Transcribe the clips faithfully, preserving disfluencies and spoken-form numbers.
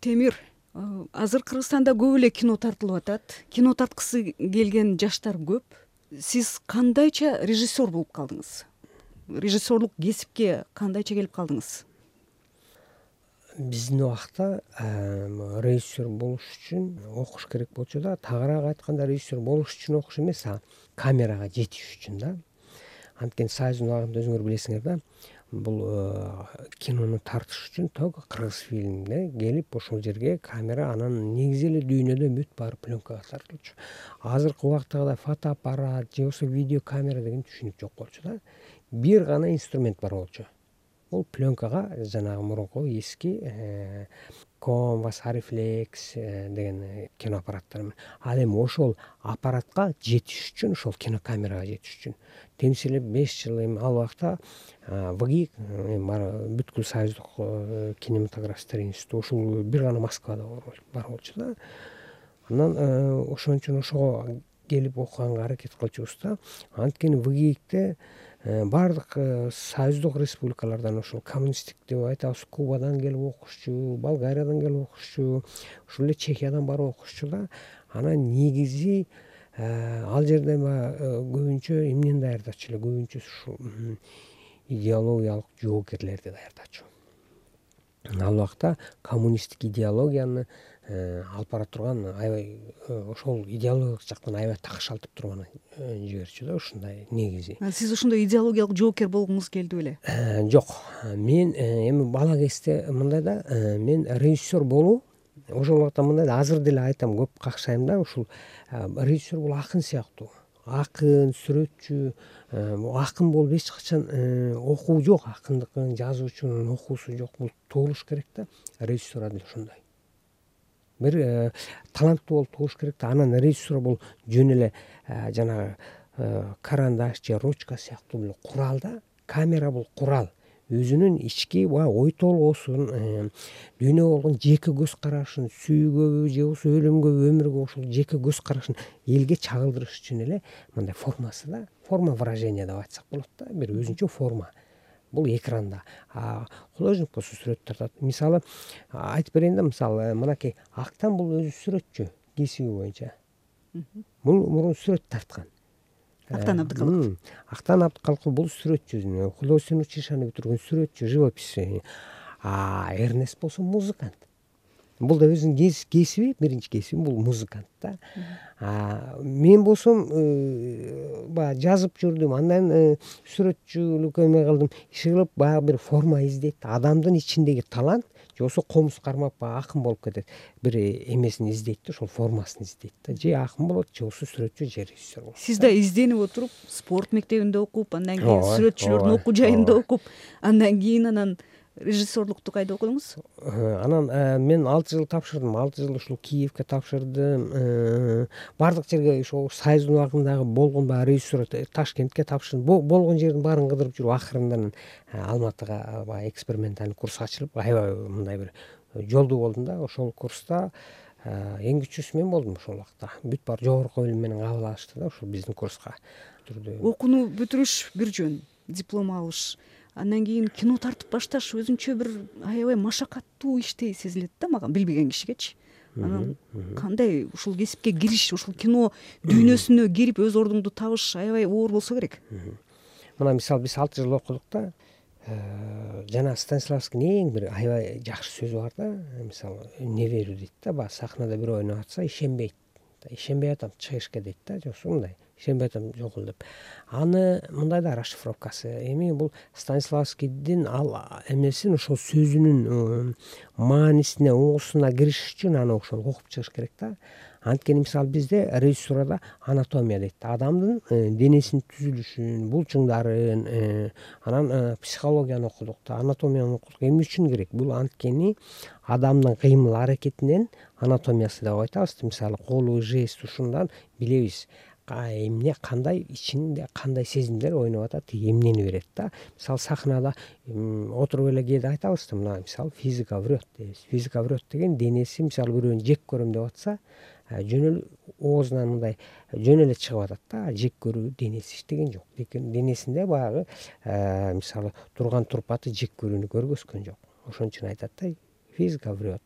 Темир, азыр Кыргызстанда көп эле кино тартылып атат. Кино тарткысы келген жаштар көп. Сиз кандайча режиссер болуп калдыңыз? Режиссерлук кесипке кандайча келип калдыңыз? Биздин убакта режиссер болуш үчүн окуш керек болчу да, тагыраак айтканда режиссер болуш үчүн окуш эмес, а камерага жетиш үчүн да. Анткени Союздун убагында өзүңөр билесиңер да, бул кинону тартыш үчүн только кыргыз фильмде келип ошол жерге камера, анан негизи эле дүйнөдө бүт баары пленкага тартылчу. Азыркы убактагыдай фотоаппарат же болбосо видеокамера деген түшүнүк жок болчу да. Бир гана инструмент бар болчу. Бул пленкага жанагы мурунку эски Convas, Arriflex деген кино аппараттар менен. Ал эми ошол аппаратка жетиш үчүн, ошол кинокамерага жетиш үчүн темиз эле беш жыл эми ал убакта ВГИК, бүткүл Союздук кинематографисттер институту ушул бир гана Москвада бар болчу да. Анан ошон үчүн ошого келип окуганга аракет кылчубуз да. Анткени ВГИКте баардык союздук республикалардан, ошол коммунисттик деп айтабыз, Кубадан келип окушчу, Болгариядан келип окушчу, ушул эле Чехиядан барып окушчу да. Анан негизи ал жерде көбүнчө эмнени даярдачу эле, көбүнчө ушул идеологиялык жоокерлерди даярдачу. Ал убакта коммунисттик идеологияны алып бара турган, аябай ошол идеологиялык жактан аябай такшалтып турган жиберчү да, ушундай негизи. Сиз ошондой идеологиялык жоокер болгуңуз келди беле? Жок, мен эми бала кезде мындай да, мен режиссер болуу ошол убакта мындай да, азыр деле айтам, көп какшайм да, ушул режиссер бул акын сыяктуу. Акын, сүрөтчү, акын болуп эч качан окуу жок, акындыкын, жазуучунун окуусу жок. Бул туулуш керек да, режиссура деле ошондой. Бир таланттуу болуп туулуш керек да. Анан режиссура бул жөн эле жанагы карандаш же ручка сыяктуу бул курал да. Камера бул курал. Өзүнүн ички ой толгоосун, дүйнөгө болгон жеке көз карашын, сүйүүгөбү же болбосо өлүмгөбү, өмүргө ошол жеке көз карашын элге чагылдырыш үчүн эле мындай формасы да, форма выражения деп айтсак болот да, бир өзүнчө форма. Бул экранда. Художник болсо сүрөт тартат. Мисалы айтып берейин да, мисалы мынакей Актан бул өзү сүрөтчү кесиби боюнча. Бул мурун сүрөт тарткан. Актан Абдыкалыков. Актан Абдыкалыков бул сүрөтчү, художественное училищени бүтүргөн сүрөтчү, живописчи. А Эрнест болсо музыкант. Бул да өзүнүн кесиби, биринчи кесиби бул музыкант да. Мен болсом баягы жазып жүрдүм, андан сүрөтчүлүккө эме кылдым. Иши кылып баягы бир форма издейт. Адамдын ичиндеги талант же болбосо комуз кармап баягы акын болуп кетет. Бир эмесин издейт да, ошол формасын издейт да. Же акын болот, же болбосо сүрөтчү, же режиссер болот. Сиз да изденип отуруп, спорт мектебинде окуп, андан кийин сүрөтчүлөрдүн окуу жайында окуп, андан кийин анан режиссерлукту кайда окудуңуз? Анан мен алты жыл тапшырдым. алты жыл ушул Киевге тапшырдым. Бардык жерге ошол Союздун убагындагы болгон баягы режиссура Ташкентке тапшырдым. Болгон жердин баарын кыдырып жүрүп, акырында Алматыга баягы экспериментальный курс ачылып, аябай мындай бир жолдуу болдум да. Ошол курста эң күчүүсү мен болдум ошол убакта. Бүт баары жогорку билим менен кабыл алышты да, ушул биздин курска. Окууну бүтүрүш бир жөн, диплом алыш, андан кийин кино тартып башташ өзүнчө бир аябай машакаттуу иштей сезилет да мага, билбеген кишигечи. Анан кандай ушул кесипке кириш, ушул кино дүйнөсүнө кирип өз ордуңду табыш аябай оор болсо керек. Мына мисалы биз алты жыл окудук да. Жана Станиславскийдин эң бир аябай жакшы сөзү бар да. Мисалы не верю дейт да, баягы сахнада бирөө ойноп атса ишенбейт. Ишенбей атам, чыг эшикке дейт да, же болбосо мындай. Ишенбей атам, жок эл деп. Аны мындай да расшифровкасы. Эми бул Станиславскийдин ал эмесин, ошол сөзүнүн маанисине, угусуна кириш үчүн аны ошол окуп чыгыш керек да. Анткени мисалы бизде режиссурада анатомия дейт. Адамдын денесинин түзүлүшүн, булчуңдарын, анан психологияны окудук да, анатомияны окудук. Эмне үчүн керек? Бул анткени адамдын кыймыл аракетинен анатомиясы деп айтабыз. Мисалы колу, жест, ушундан билебиз эмне, кандай ичинде кандай сезимдер ойноп атат, эмнени берет да. Мисалы сахнада отуруп эле кээде айтабыз да, мына мисалы физика врет дейбиз. Физика врет деген денеси мисалы бирөөнү жек көрөм деп атса, жөн эле оозунан мындай жөн эле чыгып атат да. Жек көрүү денеси иштеген жок. Денесинде баягы мисалы турган турпаты жек көрүүнү көргөзгөн жок. Ошон үчүн айтат да, физика врет.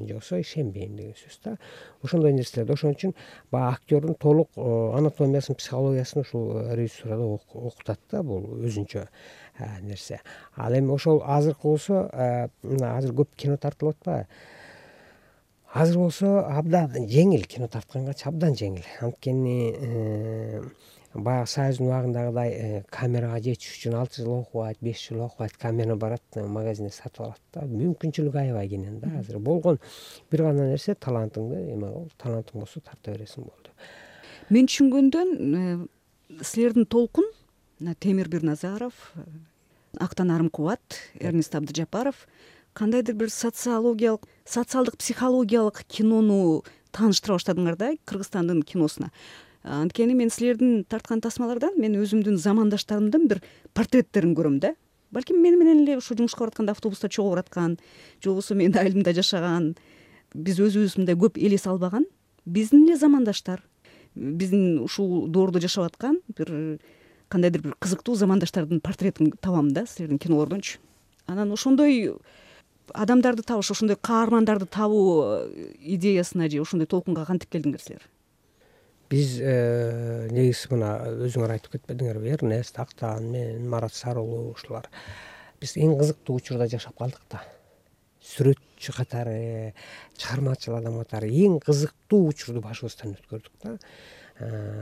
же болбосо ишенбейм деген сөз да. Ошондой нерселерди. Ошон үчүн баягы актёрдун толук анатомиясын, психологиясын ушул режиссурада окутат да, бул өзүнчө нерсе. Ал эми ошол азыркы болсо, мына азыр көп кино тартылып атпайбы? Азыр болсо абдан жеңил, кино тарткангачы абдан жеңил. Анткени баягы Союздун убагындагыдай камерага жетиш үчүн алты жыл окубайт, беш жыл окубайт, камера барат, магазинден сатып алат да. Мүмкүнчүлүгү аябай кенен да. Азыр болгон бир гана нерсе талантыңды эме кыл, талантың болсо тарта бересиң болду. Мен түшүнгөндөн силердин толкун Темир Бирназаров, Актан Арымкубат, Эрнест Абдыжапаров кандайдыр бир социологиялык, социалдык психологиялык кинону тааныштыра баштадыңар да Кыргызстандын киносуна. Анткени мен силердин тарткан тасмалардан мен өзүмдүн замандаштарымдын бир портреттерин көрөм да. Балким мени менен эле ушу жумушка баратканда автобуста чогуу бараткан, же болбосо менин айылымда жашаган, биз өзүбүз мындай көп элес албаган биздин эле замандаштар, биздин ушул доордо жашап аткан бир кандайдыр бир кызыктуу замандаштардын портретин табам да силердин кинолордончу. Анан ошондой адамдарды табыш, ошондой каармандарды табуу идеясына же ошондой толкунга кантип келдиңер силер? Биз негизи мына өзүңөр айтып кетпедиңерби, Эрнест, Актан, мен, Марат Сарыулу ушулар биз эң кызыктуу учурда жашап калдык да. Сүрөтчү катары, чыгармачыл адам катары эң кызыктуу учурду башыбыздан өткөрдүк да.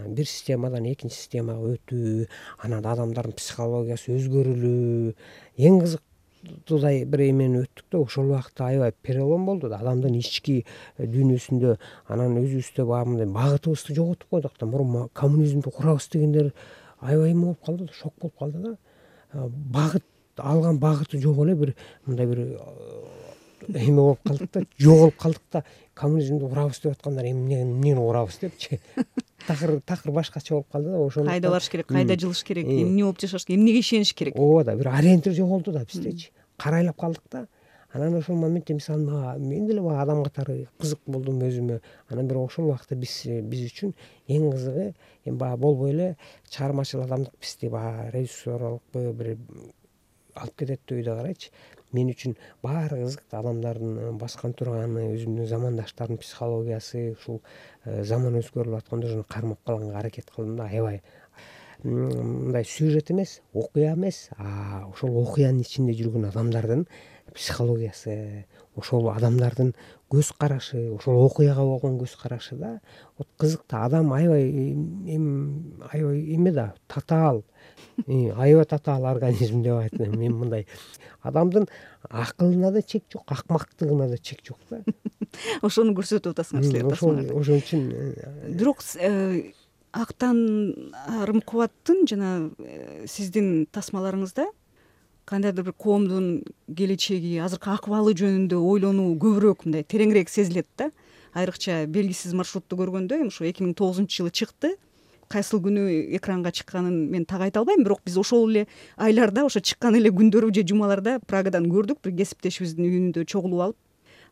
Бир системадан экинчи системага өтүү, анан адамдардын психологиясы өзгөрүлүү, эң кызыктуудай бир эмени өттүк да. Ошол убакта аябай перелом болду да, адамдын ички дүйнөсүндө. Анан өзүбүздө баягы мындай багытыбызды жоготуп койдук да. Мурун коммунизмди курабыз дегендер аябай эме болуп калды да, шок болуп калды да. Багыт алган багыты жок эле бир мындай бир эме болуп калдык да, жоголуп калдык да. Коммунизмди курабыз деп аткандар эмне эмнени курабыз депчи. Такыр такыр башкача болуп калды да. Ошондо кайда барыш керек, кайда жылыш керек, эмне болуп жашаш керек, эмнеге ишениш керек. Ооба да, бир ориентир жоголду да биздечи. Карайлап калдык да. Анан ошол моментте мисалы мага мен деле баягы адам катары кызык болдум өзүмө. Анан бирок ошол убакта биз биз үчүн эң кызыгы эми баягы болбой эле чыгармачыл адамдык бизди баягы режиссерлук бир алып кетет деп үйдө карайчы. Мен үчүн баары кызыктуу адамдардын баскан турганы, өзүмдүн замандаштардын психологиясы, ушул заман өзгөрүлүп атканда ошону кармап калганга аракет кылдым да. Аябай мындай сюжет эмес, окуя эмес, а ошол окуянын ичинде жүргөн адамдардын психологиясы, ошол адамдардын көз карашы, ошол окуяга болгон көз карашы да. Вот кызыктуу адам аябай эми аябай эме да, татаал, аябай татаал организм деп айтам. Мен мындай адамдын акылына да чек жок, акмактыгына да чек жок да. Ошону көрсөтүп атасыңар силер тасмаларда. Ошон үчүн Бирок Актан Арымкубаттын жана сиздин тасмаларыңызда кандайдыр бир коомдун келечеги, азыркы акыбалы жөнүндө ойлонуу көбүрөөк, мындай тереңирээк сезилет да. Айрыкча белгисиз маршрутту көргөндө, эми ушу эки миң тогузунчу жылы чыкты. Кайсыл күнү экранга чыкканын мен так айта албайм, бирок биз ошол эле айларда, ошо чыккан эле күндөрү же жумаларда Прагадан көрдүк, бир кесиптешибиздин үйүндө чогулуп алып.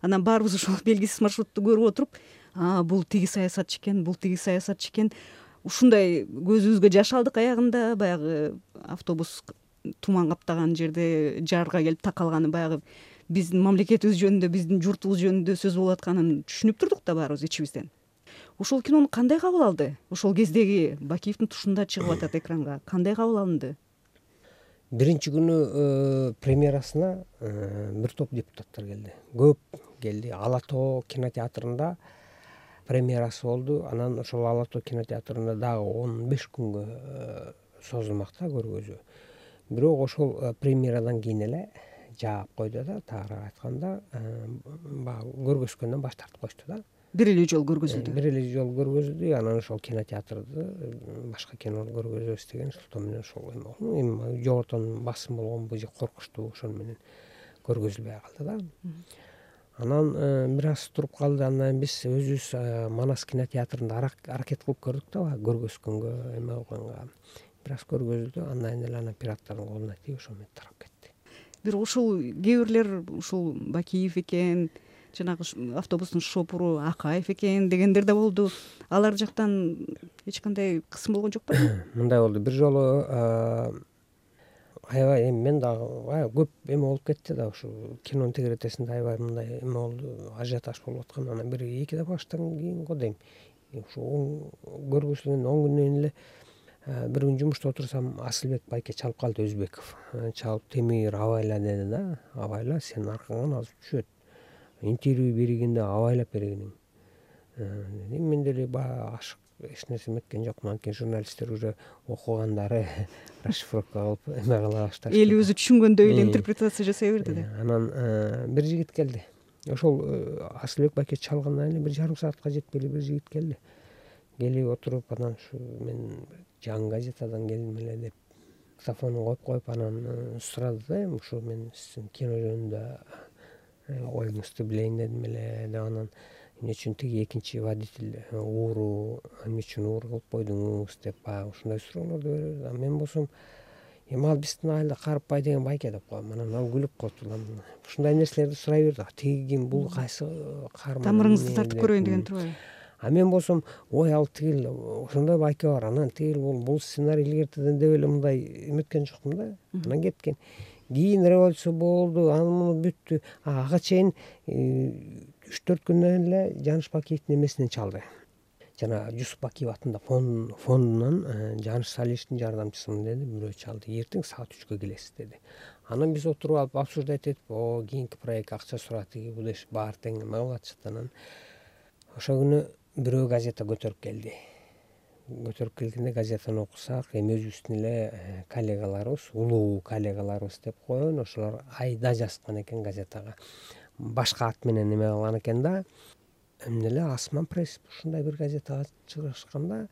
Анан баарыбыз ошол белгисиз маршрутту көрүп отуруп, а бул тиги саясатчы экен, бул тиги саясатчы экен. Ушундай көзүбүзгө жаш алдык. Аягында баягы автобус туман каптаган жерде жарга келип такалганы баягы биздин мамлекетибиз жөнүндө, биздин журтубуз жөнүндө сөз болуп атканын түшүнүп турдук да баарыбыз ичибизден. Ошол кинону кандай кабыл алды? Ошол кездеги Бакиевдин тушунда чыгып атат экранга. Кандай кабыл алынды? Биринчи күнү премьерасына бир топ депутаттар келди. Көп келди. Ала тоо кинотеатрында премьерасы болду. Анан ошол Ала тоо кинотеатрында дагы он беш күнгө созулмак да көргөзүү. Бирок ошол премьерадан кийин эле жаап койду да, тагыраак айтканда, баягы көргөзгөндөн баш тартып коюшту да. Бир эле жолу көргөзүлдү. Бир эле жолу көргөзүлдү. Анан ошол кинотеатрды башка кинону көргөзөбүз деген шылтоо менен ошол эме эми жоготон басым болгонбу же коркучту, ошону менен көргөзүлбөй калды да. Анан бир аз туруп калды. Андан биз өзүбүз Манас кинотеатрында аракет кылып көрдүк да, көргөзгөнгө, эме кылганга. Бир аз көргөзүлдү. Андан эле анан пираттардын колуна тийип ошол менен тарап кетти. Бирок ушул кээ бирлер ушул Бакиев экен, жанагы автобустун шопуру Акаев экен дегендер да болду. Алар жактан эч кандай кысым болгон жок беле? Мындай болду. Бир жолу аябай эми мен дагы аябай көп эме болуп кетти да, ушу кинонун тегеретесинде аябай мындай эме болду, ажиотаж болуп аткан. Анан бир эки багыштан кийин го дейм, ушу көргүзүлгөн он күндөн эле бир күн жумушта отурсам, Асылбек байке чалып калды, Өзбеков чалып, Темир абайла деди да, абайла сенин аркаңан азыр түшөт, интервью бергенде абайлап бергиниң дедим. Мен деле баягы ашык эч нерсе эметкен жокмун, анткени журналисттер уже окугандары расшифровка кылып эме кыла башташты, эл өзү түшүнгөндөй эле интерпретация жасай берди да. Анан бир жигит келди, ошол Асылбек байке чалгандан эле бир жарым саатка жетпей эле бир жигит келди. Келип отуруп, анан ушу мен жаңы газетадан келдим эле деп диктофонун коюп коюп, анан сурады да, эми ушу мен сиздин кино жөнүндө оюңузду билейин дедим эле деп. Анан эмне үчүн тиги экинчи водитель ууру, эмне үчүн уур кылып койдуңуз деп баягы ушундай суроолорду берип берди. Мен болсом эми ал биздин айылда Карыпбай деген байке деп коем. Анан ал күлүп коюптур, ушундай нерселерди сурай берди. Тиги ким, бул кайсы каарман, тамырыңызды тартып көрөйүн деген турбайбы? А мен болсом, ой ал тигил ошондой байке бар, анан тигил бул бул сценарий илгертеден деп эле мындай эметкен жокмун да. Анан кеткен. Кийин революция болду, аны муну бүттү. Ага чейин үч төрт күндөн эле Жаныш Бакиевдин эмесинен чалды. Жана Жусуп Бакиев атында фондунан Жаныш Салишевдин жардамчысымын деди, бирөө чалды. Эртең саат үчкө келесиз деди. Анан биз отуруп алып обсуждать этип, о кийинки проект акча сурат, тиги бул иш баары тең эме кылып атышат. Анан ошол күнү бирөө газета көтөрүп келди. Көтөрүп келгенде газетаны окусак, эми өзүбүздүн эле коллегаларыбыз, улуу коллегаларыбыз деп коеюн, ошолор айда жазган экен газетага. Башка ат менен эме кылган экен да. Эмне эле Асман пресс ушундай бир газетага чыгышкан да,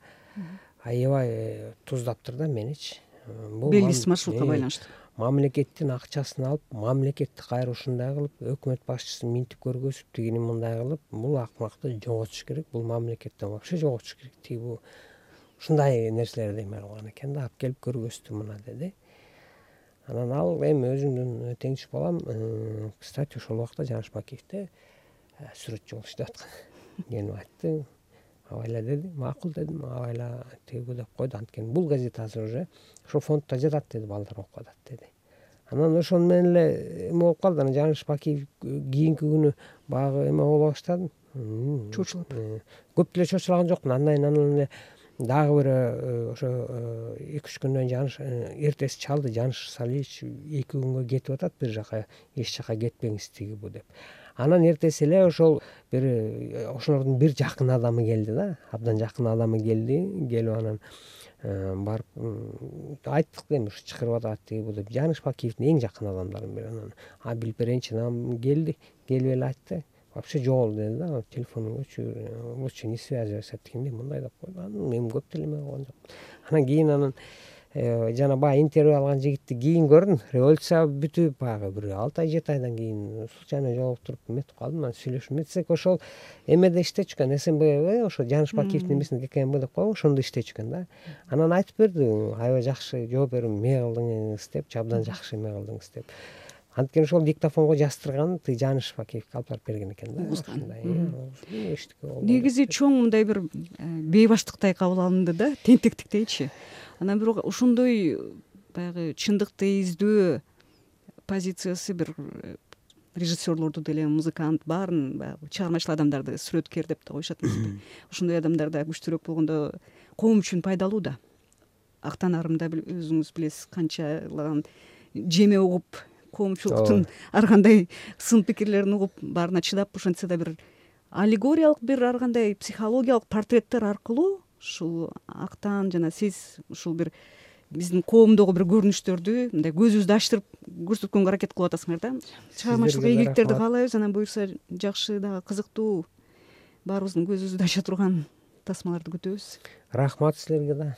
аябай туздаптыр да меничи. Белгисиз маршрутка байланыштуу. Мамлекеттин акчасын алып, мамлекетти кайра ушундай кылып, өкмөт башчысын минтип көргөзүп, тигини мындай кылып, бул акмакты жоготуш керек, бул мамлекеттен вообще жоготуш керек, тиги бул ушундай нерселерди эме кылган экен да, алып келип көргөздү мына деди. Анан ал эми өзүмдүн теңиш балам, кстати, ошол убакта Жаныш Бакиевде сүрөтчү болуп иштеп аткан. Келип айтты, абайла деди, макул дедим, абайла тиги деп койду. Анткени бул газета азыр уже ошол фонддо жатат деди, балдар окуп атат деди. Анан ошону менен эле эме болуп калды. Анан Жаныш Бакиев кийинки күнү баягы эме боло баштады. Чочулуп. Көп деле чочулаган жокмун. Андан кийин анан эле дагы бир ошо эки үч күндөн Жаныш эртеси чалды. Жаныш Салич эки күнгө кетип атат бир жака, эч жака кетпеңиз тиги бу деп. Анан эртеси эле ошол бир ошолордун бир жакын адамы келди да, абдан жакын адамы келди. Келип анан барып айттык эми ушу чакырып атат тиги бу деп. Жаныш Бакиевдин эң жакын адамдарынын бири. Анан а билип берейинчи, анан келди, келип эле айтты. Вообще жок деди да, телефонун өчүр, лучше не связывайся дегендей мындай деп койду. Анан мен көп деле эме кылган жокмун. Анан кийин анан жана баягы интервью алган жигитти кийин көрдүм. Революция бүтүп баягы бир алты ай жети айдан кийин случайно жолуктуруп эметип калдым. Анан сүйлөшүп эметсек, ошол эмеде иштечү экен, СМБ, ошо Жаныш Бакиевдин эмесинде КМБ деп коебу, ошондо иштечү экен да. Анан айтып берди, аябай жакшы жооп берип эме кылдыңыз деп, абдан жакшы эме кылдыңыз деп. Анткени ошол диктофонго жаздырган тиги Жаныш Бакиевге алып барып берген экен да. Ушундай эчтеке болду. Негизи чоң мындай бир бейбаштыктай кабыл алынды да, тентектиктейчи. Анан бирок ошондой баягы чындыкты издөө позициясы бир режиссерлорду деле, музыкант баарын, баягы чыгармачыл адамдарды сүрөткер деп да коюшат эмеспи. Ошондой адамдар да күчтүүрөөк болгондо коом үчүн пайдалуу да. Актанарымда өзүңүз билесиз, канчалаган жеме угуп, коомчулуктун ар кандай сын пикирлерин угуп, баарына чыдап, ошентсе да бир аллегориялык бир ар кандай психологиялык портреттер аркылуу ушул Актан жана сиз ушул бир биздин коомдогу бир көрүнүштөрдү мындай көзүбүздү ачтырып көрсөткөнгө аракет кылып атасыңар да. Чыгармачылык ийгиликтерди каалайбыз. Анан буюрса жакшы дагы кызыктуу, баарыбыздын көзүбүздү ача турган тасмаларды күтөбүз. Рахмат силерге да.